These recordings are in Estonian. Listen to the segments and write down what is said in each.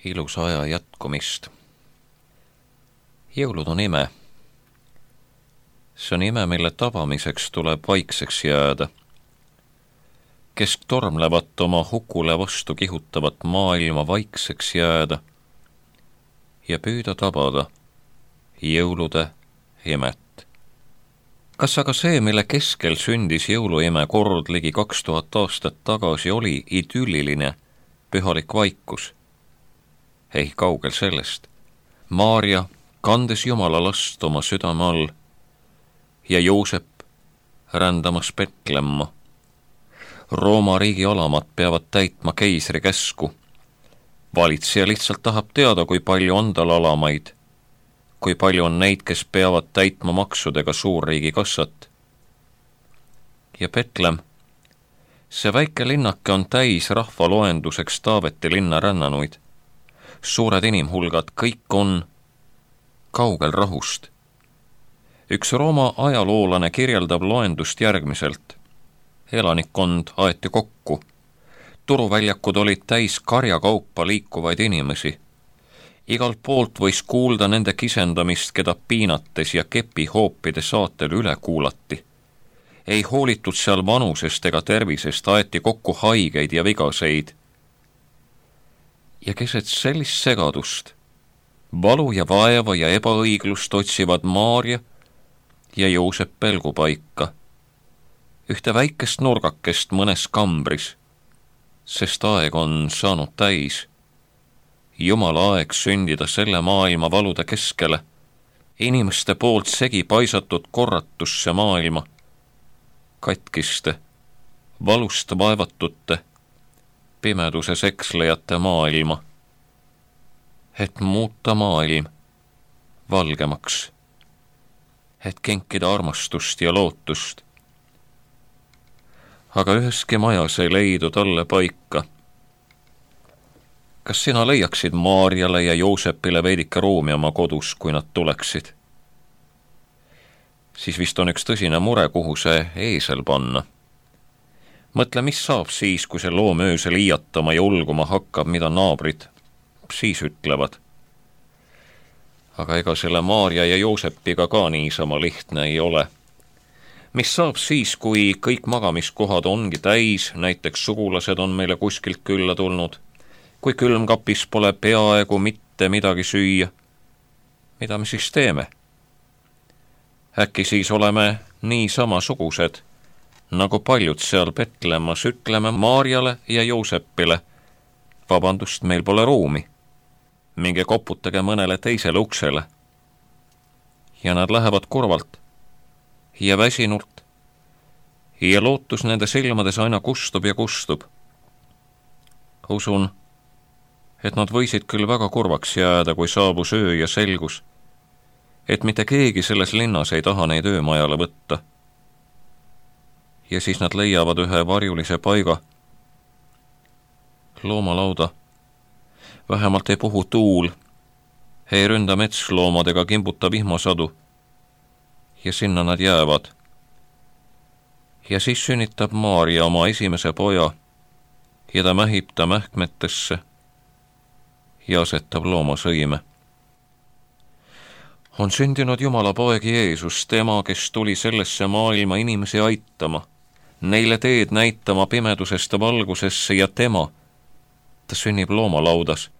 ilusa aja jätkumist. Jõulud on ime. See on ime, mille tabamiseks tuleb vaikseks jääda. Kesktormlevat oma hukule vastu kihutavat maailma vaikseks jääda ja püüda tabada jõulude imet. Kas aga see, mille keskel sündis jõuluime kord ligi 2000 aastat tagasi, oli idülliline pühalik vaikus? Ei, kaugel sellest. Maarja kandes Jumala last oma südame all ja Joosep rändamas Betlemma. Rooma riigi alamad peavad täitma keisri käsku. Valitseja lihtsalt tahab teada, kui palju on tal alamaid, kui palju on neid, kes peavad täitma maksudega suurriigi kassat. Ja Betlem, see väike linnake on täis rahvaloenduseks Taaveti linna rännanuid. Suured inimhulgad, kõik on kaugel rahust. Üks Rooma ajaloolane kirjeldab loendust järgmiselt. Elanikkond aeti kokku. Turuväljakud olid täis karjakaupa liikuvaid inimesi. Igalt poolt võis kuulda nende kisendamist, keda piinates ja kepihoopide saatel üle kuulati. Ei hoolitud seal vanusest ega tervisest, aeti kokku haigeid ja vigaseid. Ja keset sellist segadust, valu ja vaeva ja ebaõiglust otsivad Maarja ja Joosep pelgupaika, ühte väikest nurgakest mõnes kambris, sest aeg on saanud täis. Jumala aeg sündida selle maailma valude keskele, inimeste poolt segi paisatud korratusse maailma, katkiste, valust vaevatute, pimeduses ekslejate maailma, et muuta maailm valgemaks, et kinkida armastust ja lootust. Aga üheski majas ei leidu talle paika. Kas sina leiaksid Maarjale ja Joosepile veidike ruumi oma kodus, kui nad tuleksid? Siis vist on üks tõsine mure, kuhu see eesel panna. Mõtle, mis saab siis, kui see loom öösel iiatama ja ulguma hakkab, mida naabrid siis ütlevad. Aga ega selle Maarja ja Joosepiga ka niisama lihtne ei ole. Mis saab siis, kui kõik magamiskohad ongi täis, näiteks sugulased on meile kuskilt külla tulnud, kui külmkapis pole peaaegu mitte midagi süüa? Mida me siis teeme? Äkki siis oleme nii samasugused, nagu paljud seal Betlemmas, ütleme Maarjale ja Joosepile: vabandust, meil pole ruumi. Minge koputage mõnele teisele uksele. Ja nad lähevad kurvalt ja väsinult ja lootus nende silmades aina kustub ja kustub. Usun, et nad võisid küll väga kurvaks jääda, kui saabus öö ja selgus, et mitte keegi selles linnas ei taha neid öömajale võtta. Ja siis nad leiavad ühe varjulise paiga, loomalauda. Vähemalt ei puhu tuul, ei ründa metsloomadega kimbuta vihmasadu. Ja sinna nad jäävad. Ja siis sünnitab Maarja oma esimese poja ja ta mähib ta mähkmetesse ja asetab loomasõime. On sündinud Jumala poeg Jeesus, tema, kes tuli sellesse maailma inimesi aitama, neile teed näitama pimedusest valgusesse, ja tema, ta sünnib loomalaudas,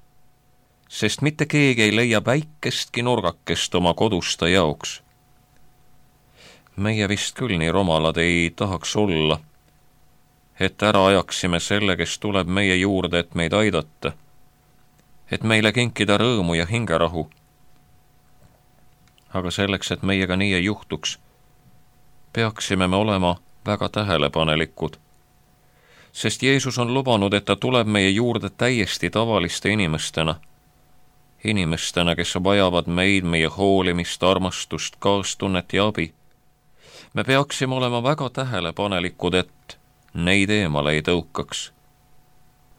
sest mitte keegi ei leia väikestki nurgakest oma kodusta jaoks. Meie vist küll nii romalad ei tahaks olla, et ära ajaksime selle, kes tuleb meie juurde, et meid aidata, et meile kinkida rõõmu ja hingerahu. Aga selleks, et meiega nii ei juhtuks, peaksime me olema väga tähelepanelikud, sest Jeesus on lubanud, et ta tuleb meie juurde täiesti tavaliste inimestena, kes vajavad meid, meie hoolimist, armastust, kaastunnet ja abi. Me peaksime olema väga tähelepanelikud, et neid eemale ei tõukaks.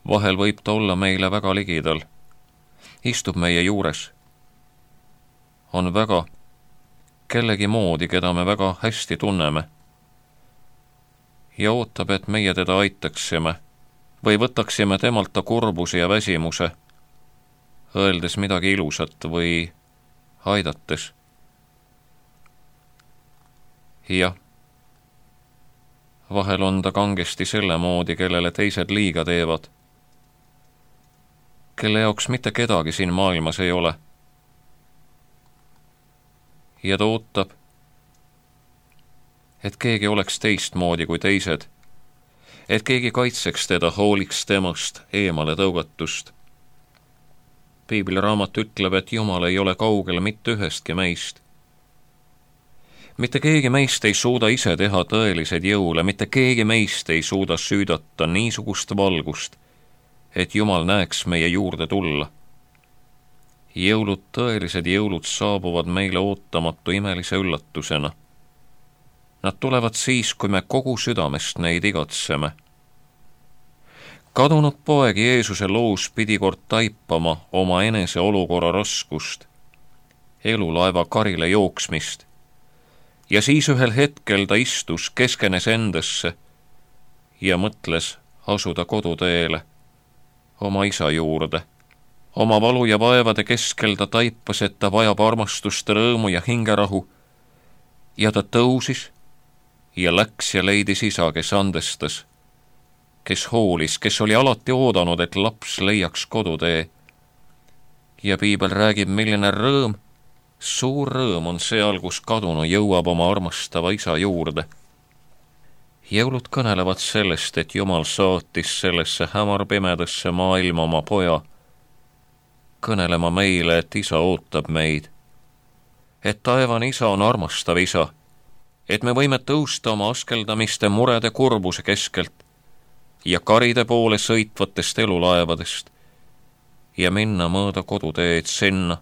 Vahel võib ta olla meile väga ligidal, istub meie juures, on väga kellegi moodi, keda me väga hästi tunneme, ja ootab, et meie teda aitaksime või võtaksime temalt ta kurbuse ja väsimuse öeldes midagi ilusat või aidates. Jah, vahel on ta kangesti selle moodi, kellele teised liiga teevad, kelle jaoks mitte kedagi siin maailmas ei ole. Ja ta ootab, et keegi oleks teistmoodi kui teised, et keegi kaitseks teda, hooliks temast eemale tõugatust. Piibliraamat ütleb, et Jumal ei ole kaugel mitte ühestki meist. Mitte keegi meist ei suuda ise teha tõeliseid jõule, mitte keegi meist ei suuda süüdata niisugust valgust, et Jumal näeks meie juurde tulla. Jõulud, tõelised jõulud saabuvad meile ootamatu imelise üllatusena. Nad tulevad siis, kui me kogu südamest neid igatseme. Kadunud poeg Jeesuse loos pidi kord taipama oma enese olukorra raskust, elulaeva karile jooksmist, ja siis ühel hetkel ta istus, keskenes endasse ja mõtles asuda koduteele, oma isa juurde. Oma valu ja vaevade keskel ta taipas, et ta vajab armastust, rõõmu ja hingerahu, ja ta tõusis ja läks ja leidis isa, kes andestas, kes hoolis, kes oli alati oodanud, et laps leiaks kodutee. Ja piibel räägib, milline rõõm, suur rõõm on seal, kus kadunu jõuab oma armastava isa juurde. Jõulud kõnelevad sellest, et Jumal saatis sellesse hämarpimedasse maailma oma poja, kõnelema meile, et isa ootab meid, et taevane isa on armastav isa, et me võime tõusta oma askeldamiste, murede, kurbuse keskelt ja karide poole sõitvatest elulaevadest ja minna mööda koduteed sinna,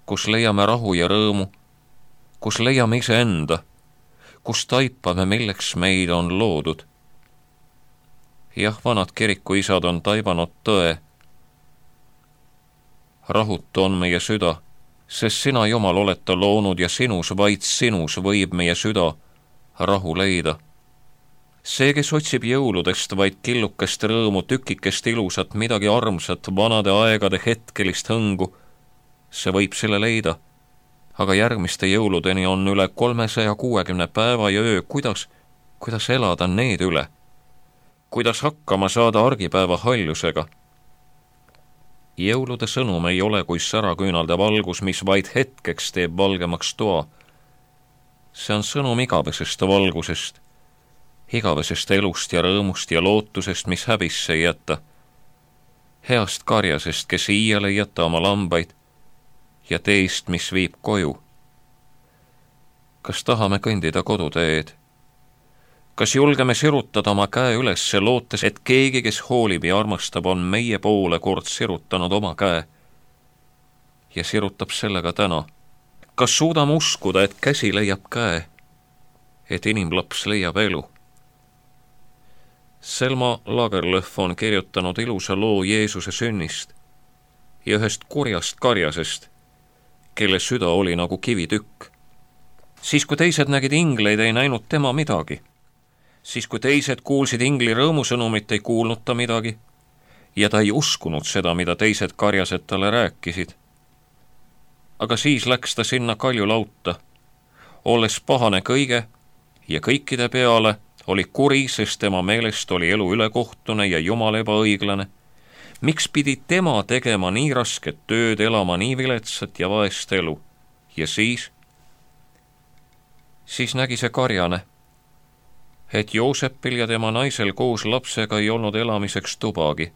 kus leiame rahu ja rõõmu, kus leiame iseenda, kus taipame, milleks meid on loodud. Jah, vanad kirikuisad on taibanud tõe. Rahutu on meie süda, sest sina, Jumal, oled ta loonud ja sinus, vaid sinus võib meie süda rahu leida. See, kes otsib jõuludest vaid killukest rõõmu, tükikest ilusat, midagi armsat, vanade aegade hetkelist hõngu, see võib selle leida. Aga järgmiste jõuludeni on üle 360 päeva ja öö, kuidas elada need üle? Kuidas hakkama saada argipäeva haljusega? Jõulude sõnum ei ole kui säraküünalde valgus, mis vaid hetkeks teeb valgemaks toa. See on sõnum igavesest valgusest, igavesest elust ja rõõmust ja lootusest, mis häbisse ei jäta. Heast karjasest, kes iial ei jäta oma lambaid, ja teist, mis viib koju. Kas tahame kõndida koduteed? Kas julgeme sirutada oma käe ülesse, lootes, et keegi, kes hoolib ja armastab, on meie poole kord sirutanud oma käe ja sirutab sellega täna? Kas suudame uskuda, et käsi leiab käe, et inimlaps leiab elu? Selma Lagerlöf on kirjutanud ilusa loo Jeesuse sünnist ja ühest kurjast karjasest, kelle süda oli nagu kivitükk. Siis, kui teised nägid ingleid, ei näinud tema midagi. Siis, kui teised kuulsid ingli rõõmusõnumit, ei kuulnud ta midagi, ja ta ei uskunud seda, mida teised karjased talle rääkisid. Aga siis läks ta sinna kaljulauta, olles pahane kõige ja kõikide peale, oli kuri, sest tema meelest oli elu ülekohtune ja Jumal ebaõiglane. Miks pidi tema tegema nii rasket tööd, elama nii viletsat ja vaest elu? Ja siis nägi see karjane, et Joosepil ja tema naisel koos lapsega ei olnud elamiseks tubagi,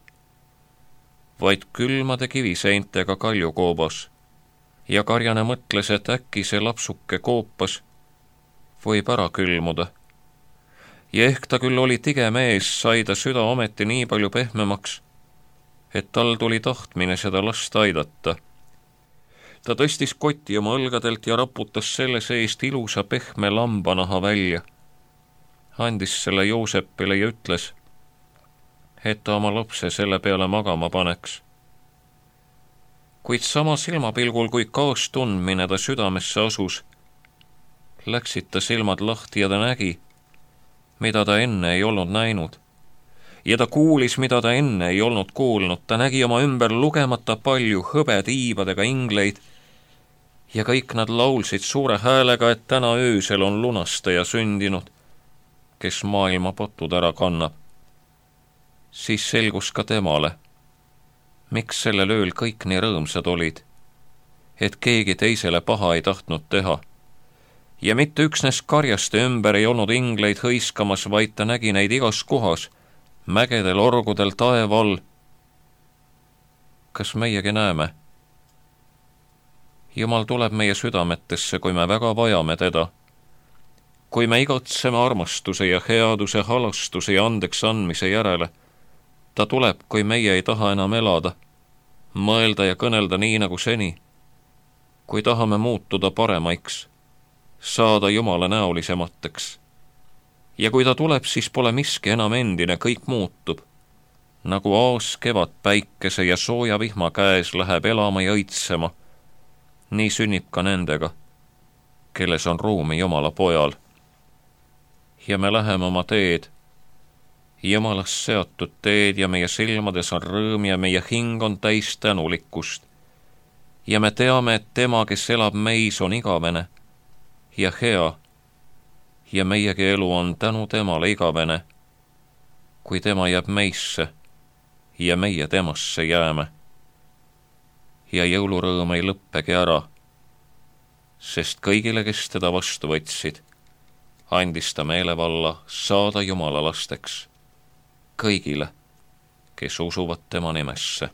vaid külmade kiviseintega kaljukoobas, ja karjane mõtles, et äkki see lapsuke koopas võib ära külmuda. Ja ehk ta küll oli tige mees, sai ta süda ometi nii palju pehmemaks, et tal tuli tahtmine seda last aidata. Ta tõstis koti oma õlgadelt ja raputas selle seest ilusa pehme lambanaha välja, andis selle Joosepile ja ütles, et ta oma lapse selle peale magama paneks. Kuid sama silmapilgul, kui kaastundmine ta südamesse asus, läksid ta silmad lahti ja ta nägi, mida ta enne ei olnud näinud, ja ta kuulis, mida ta enne ei olnud kuulnud. Ta nägi oma ümber lugemata palju hõbetiibadega ingleid ja kõik nad laulsid suure häälega, et täna öösel on lunastaja sündinud, kes maailma potud ära kannab. Siis selgus ka temale, miks sellel ööl kõik nii rõõmsad olid, et keegi teisele paha ei tahtnud teha. Ja mitte üksnes karjaste ümber ei olnud ingleid hõiskamas, vaid ta nägi neid igas kohas, mägedel, orgudel, taeva all. Kas meiegi näeme? Jumal tuleb meie südametesse, kui me väga vajame teda. Kui me igatseme armastuse ja headuse, halastuse ja andeks andmise järele, ta tuleb, kui meie ei taha enam elada, mõelda ja kõnelda nii nagu seni. Kui tahame muutuda paremaiks, saada Jumala näolisemateks. Ja kui ta tuleb, siis pole miski enam endine, kõik muutub. Nagu aas kevad päikese ja sooja vihma käes läheb elama ja õitsema, nii sünnib ka nendega, kelles on ruumi Jumala pojal. Ja me läheme oma teed, Jumalast seatud teed, ja meie silmades on rõõm ja meie hing on täis tänulikkust. Ja me teame, et tema, kes elab meis, on igavene ja hea, ja meiegi elu on tänu temale igavene, kui tema jääb meisse ja meie temasse jääme. Ja jõulurõõm ei lõppegi ära, sest kõigile, kes teda vastu võtsid, andis ta meelevalla saada Jumala lasteks, kõigile, kes usuvad tema nimesse.